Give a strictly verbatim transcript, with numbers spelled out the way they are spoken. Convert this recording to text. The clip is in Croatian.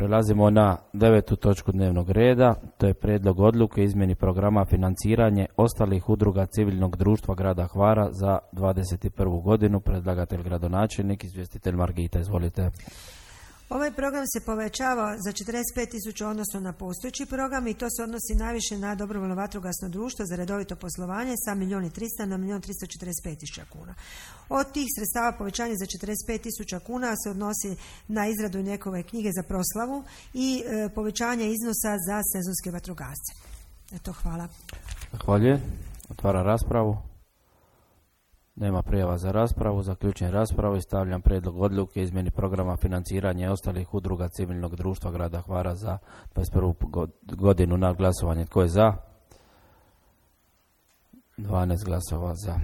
Prelazimo na devetu točku dnevnog reda, to je prijedlog odluke izmjeni programa financiranje ostalih udruga civilnog društva grada Hvara za dvadeset prvu godinu. Predlagatelj gradonačelnik, izvjestitelj Margita, izvolite. Ovaj program se povećava za četrdeset pet tisuća odnosno na postojeći program i to se odnosi najviše na dobrovoljno vatrogasno društvo za redovito poslovanje sa milijun i tristo na milijun tristo četrdeset pet tisuća kuna. Od tih sredstava povećanje za četrdeset pet tisuća kuna se odnosi na izradu njegove knjige za proslavu i e, povećanje iznosa za sezonske vatrogasce. Eto, hvala. Zahvaljujem. Otvara raspravu. Nema prijava za raspravu. Zaključujem raspravu i stavljam prijedlog odluke izmjeni programa financiranja ostalih udruga civilnog društva grada Hvara za dvadeset prvu godinu na glasovanje. Tko je za? dvanaest glasova za.